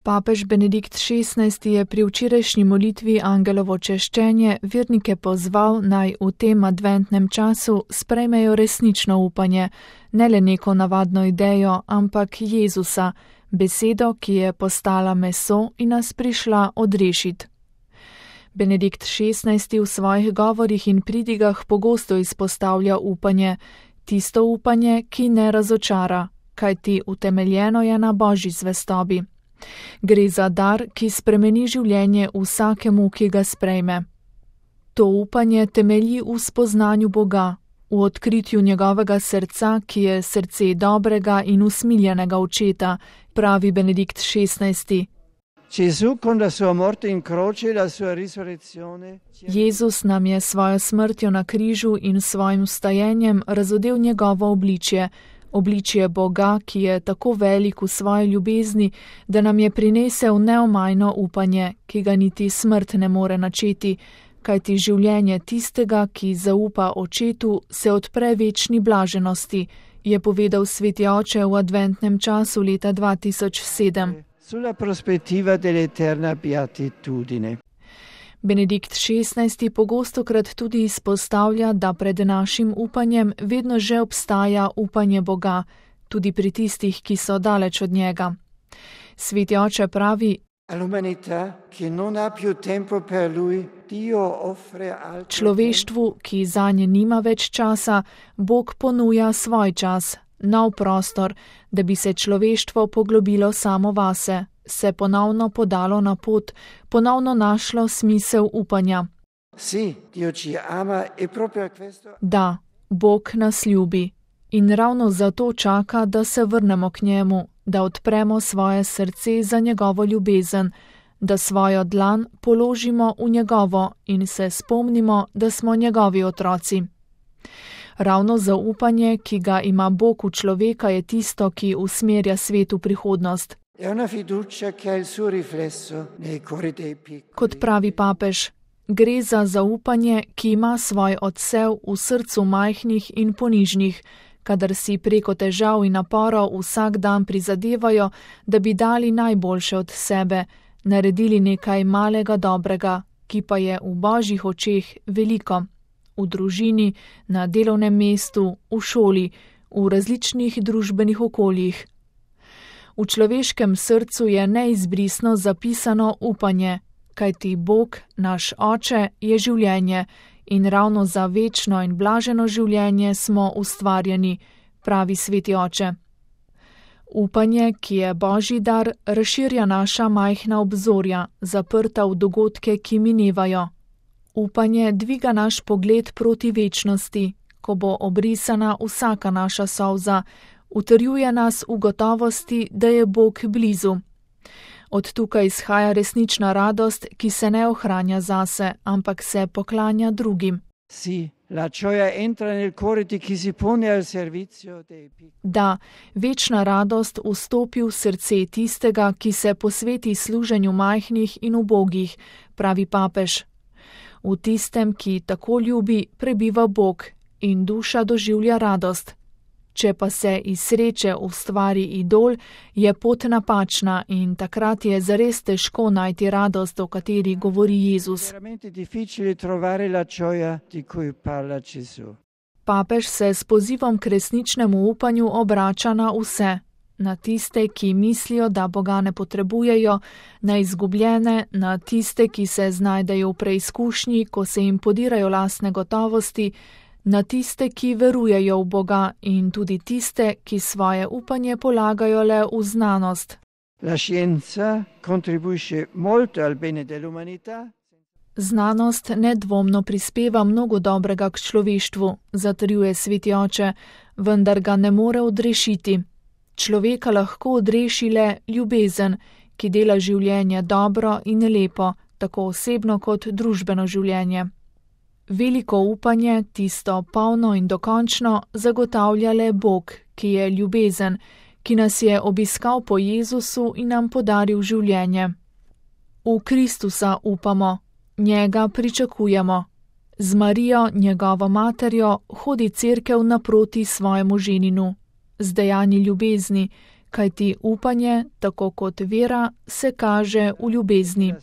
Papež Benedikt XVI je pri včerajšnji molitvi Angelovo češčenje vernike pozval, naj v tem adventnem času sprejmejo resnično upanje, ne le neko navadno idejo, ampak Jezusa, besedo, ki je postala meso in nas prišla odrešiti. Benedikt XVI v svojih govorih in pridigah pogosto izpostavlja upanje, tisto upanje, ki ne razočara, kajti utemeljeno je na Božji zvestobi. Gre za dar, ki spremeni življenje vsakemu, ki ga sprejme. To upanje temelji v spoznanju Boga, v odkritju njegovega srca, ki je srce dobrega in usmiljenega očeta, pravi Benedikt XVI. Jezus nam je svojo smrtjo na križu in svojim vstajenjem razodel njegovo obličje, obličje Boga, ki je tako velik v svoji ljubezni, da nam je prinesel neomajno upanje, ki ga niti smrt ne more načeti, kajti življenje tistega, ki zaupa očetu, se odpre večni blaženosti, je povedal sveti oče v adventnem času leta 2007. Sulla prospettiva dell'eterna beatitudine. Benedikt XVI pogostokrat tudi izpostavlja, da pred našim upanjem vedno že obstaja upanje Boga, tudi pri tistih, ki so daleč od njega. Sveti oče pravi: človeštvu, ki zanje nima več časa, Bog ponuja svoj čas, nov prostor, da bi se človeštvo poglobilo samo vase, se ponovno podalo na pot, ponovno našlo smisel upanja. Da, Bog nas ljubi in ravno zato čaka, da se vrnemo k njemu, da odpremo svoje srce za njegovo ljubezen, da svojo dlan položimo v njegovo in se spomnimo, da smo njegovi otroci. Ravno zaupanje, ki ga ima Bog v človeka, je tisto, ki usmerja svet v prihodnost. Kot pravi papež, gre za zaupanje, ki ima svoj odsev v srcu majhnih in ponižnih, kadar si preko težav in naporov vsak dan prizadevajo, da bi dali najboljše od sebe, naredili nekaj malega dobrega, ki pa je v Božjih očeh veliko. V družini, na delovnem mestu, v šoli, v različnih družbenih okoljih. V človeškem srcu je neizbrisno zapisano upanje, kajti Bog, naš Oče, je življenje in ravno za večno in blaženo življenje smo ustvarjeni, pravi sveti oče. Upanje, ki je Božji dar, razširja naša majhna obzorja, zaprta v dogodke, ki minevajo. Upanje dviga naš pogled proti večnosti, ko bo obrisana vsaka naša solza, utrjuje nas v gotovosti, da je Bog blizu. Od tukaj izhaja resnična radost, ki se ne ohranja zase, ampak se poklanja drugim. Da, večna radost vstopi v srce tistega, ki se posveti služenju majhnih in ubogih, pravi papež. V tistem, ki tako ljubi, prebiva Bog in duša doživlja radost. Če pa se iz sreče ustvari idol, je pot napačna in takrat je zares težko najti radost, o kateri govori Jezus. Papež se s pozivom k resničnemu upanju obrača na vse, na tiste, ki mislijo, da Boga ne potrebujejo, na izgubljene, na tiste, ki se znajdejo v preizkušnji, ko se jim podirajo lastne gotovosti, na tiste, ki verujejo v Boga in tudi tiste, ki svoje upanje polagajo le v znanost. Znanost nedvomno prispeva mnogo dobrega k človeštvu, zatrjuje sveti oče, vendar ga ne more odrešiti. Človeka lahko odreši le ljubezen, ki dela življenje dobro in lepo, tako osebno kot družbeno življenje. Veliko upanje, tisto polno in dokončno, zagotavlja le Bog, ki je ljubezen, ki nas je obiskal po Jezusu in nam podaril življenje. V Kristusa upamo, njega pričakujemo. Z Marijo, njegovo materjo, hodi cerkev naproti svojemu ženinu. Z dejanji ljubezni, kajti upanje, tako kot vera, se kaže v ljubezni.